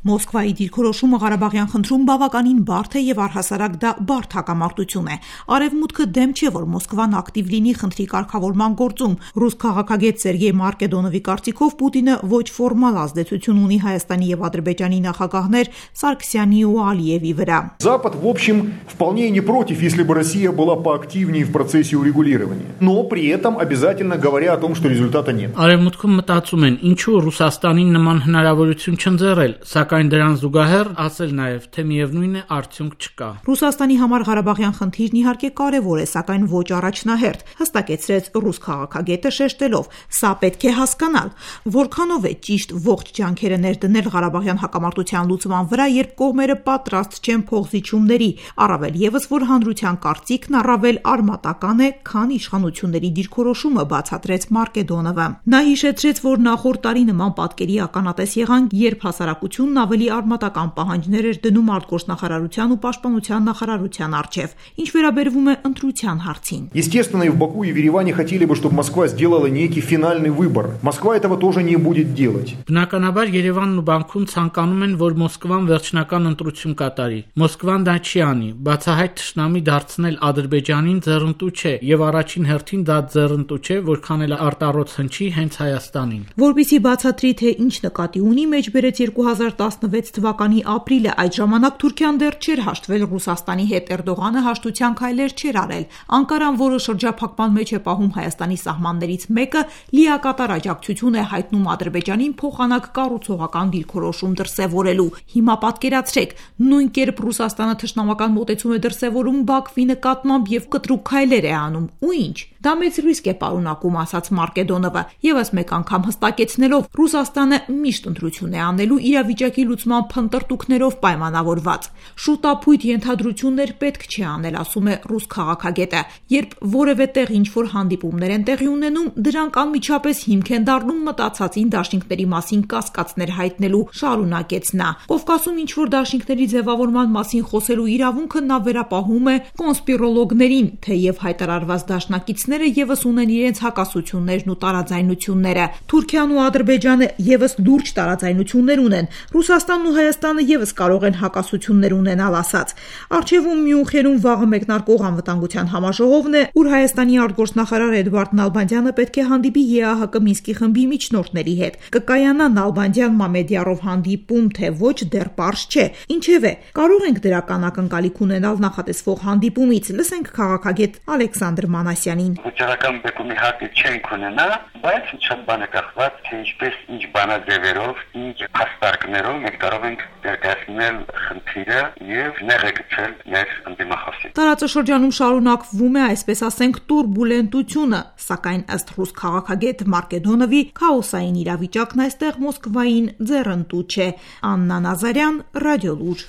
Մոսկվայի դիրքորոշումը Ղարաբաղյան խնդրում բավականին բարդ է եւ առհասարակ դա բարդ հակամարտություն է։ Արևմուտքը դեմ չէ, որ Մոսկվան ակտիվ լինի խնդրի կարգավորման գործում։ Ռուս քաղաքագետ Սերգեյ Մարկեդոնովի կարծիքով Պուտինը ոչ ֆորմալ ազդեցություն ունի Հայաստանի եւ Ադրբեջանի նախագահներ Սարգսյանի ու Ալիևի վրա։ Запад, в общем, вполне не против, если бы Россия была поактивнее в процессе урегулирования. Но при этом обязательно говоря о том, что результата нет. Արևմուտքում մտածում են, ինչու Ռուսաստանին նման հնարավորություն չընձեռել, սակայն դրան զուգահեռ ասել նաև, թե միևնույն է արդյունք չկա։ Ռուսաստանի համար Ղարաբաղյան խնդիրն իհարկե կարևոր է, սակայն ոչ առաջնահերթ, հստակեցրեց ռուս քաղաքագետը շեշտելով. Սա պետք է հասկանալ, որքանով է ճիշտ ողջ ջանքերը ներդնել Ղարաբաղյան հակամարտության լուծման վրա, երբ կողմերը պատրաստ չեն փոխզիջումների, առավել եւս որ հանրության կարծիքն առավել արմատական է, քան իշխանությունների դիրքորոշումը, բացատրեց Մարկեդոնովը։ Նա հիշեցրեց, որ նախորդ տարի նման պատկերի ականատես եղանք, երբ հասարակությունն ավելի արմատական պահանջներ էր դնում արտգործնախարարության ու պաշտպանության նախարարության առջև, ինչ վերաբերվում է ընտրության հարցին։ Естественно, и в Баку, и в Ереване хотели бы, чтобы Москва сделала некий финальный выбор. Москва этого тоже не будет делать. Բնականաբար Երևանն ու Բաքուն ցանկանում են, որ Մոսկվան վերջնական ընտրություն կատարի։ Մոսկվան դա չի անի, բացահայտ թշնամի դարձնել Ադրբեջանին ձեռնտու չէ, եւ առաջին հերթին դա ձեռնտու չէ, որքան էլ արտառոց հնչի հենց Հայաստանին։ Որպեսզի բացատրի, թե ինչ նկատի ունի, մեջբերեց 2016 թվականի ապրիլը, այդ ժամանակ Թուրքիան դեռ չէր հաշտվել Ռուսաստանի հետ, Էրդողանը հաշտության քայլեր չէր արել։ Անկարան, որը շրջափակման մեջ է պահում Հայաստանի սահմաններից մեկը, լիակատար աջակցություն է հայտնում Ադրբեջանին փոխանակ կառուցողական դիրքորոշում դրսևորելու։ Հիմա պատկերացրեք, նույն կերպ Ռուսաստանը թշնամական մոտեցում է դրսևորում Բաքվի նկատմամբ եւ կտրուկ քայլեր է անում։ Ու ինչ։ Դա մեծ ռիսկ է պարունակում, ասաց Մարկեդոնովը, եւս մեկ անգամ հստակեցնելով, Ռուսաստանը միշտ ընտրություն է անելու իրավիճակի լուծման փնտրտուքներով պայմանավորված։ Շուտապույտ ենթադրություններ պետք չէ անել, ասում է ռուս քաղաքագետը։ Երբ որևէ տեղ ինչ-որ հանդիպումներ են տեղի ունենում, դրանք անմիջապես հիմք են դառնում մտածածին դաշինքների մասին կասկածներ հայտնելու, շարունակեց նա։ Կովկասում ինչ-որ դաշինքների ձևավորման մասին խոսելու իրավունքը նա վերապահում է կոնսպիրոլոգներին, թեև հայտարարված դաշնակիցները եւս ունեն իրենց հակասություններն ու տարաձայնությունները։ Թուրքիան ու Ադրբեջանը եւս լուրջ տարաձայնություններ ունեն։ Ռուսաստանն ու Հայաստանը եւս կարող են հակասություններ ունենալ, ասաց։ Արչևում Մյունխենում վաղը մեկնարկող անվտանգության համաժողովն է, ուր Հայաստանի արտգործնախարար Էդվարդ Նալբանդյանը պետք է հանդիպի ԵԱՀԿ Մինսկի խմբի միջնորդների հետ։ Կկայանա Նալբանդյան-Մամեդյարով հանդիպում, թե ոչ, դեռ պարզ չէ։ Ինչևէ, կարող ենք դրական ակնկալիք ունենալ նախատեսվող հանդիպումից, լսենք քաղաքագետ Ալեքսանդր Մանասյանին։ Վճռական բեկումի հարկը չենք ունենա, բայց շատ բան է կախված, թե ինչպես ինչ բանաձևերով, ինչ հաստարկներով մենք կարող ենք ներկայացնել խնդիրը եւ նեղեցնել մեր ընդդիմախոսին։ Տարածաշրջանում շարունակվում է, այսպես ասենք, տուրբուլենտությունը, սակայն ըստ ռուս քաղաքագետ Մարկեդոնովի քաոսային իրավիճակն այստեղ Մոսկվային ձեռնտու չէ։ Աննա Նազարյան, Ռադիոլուր։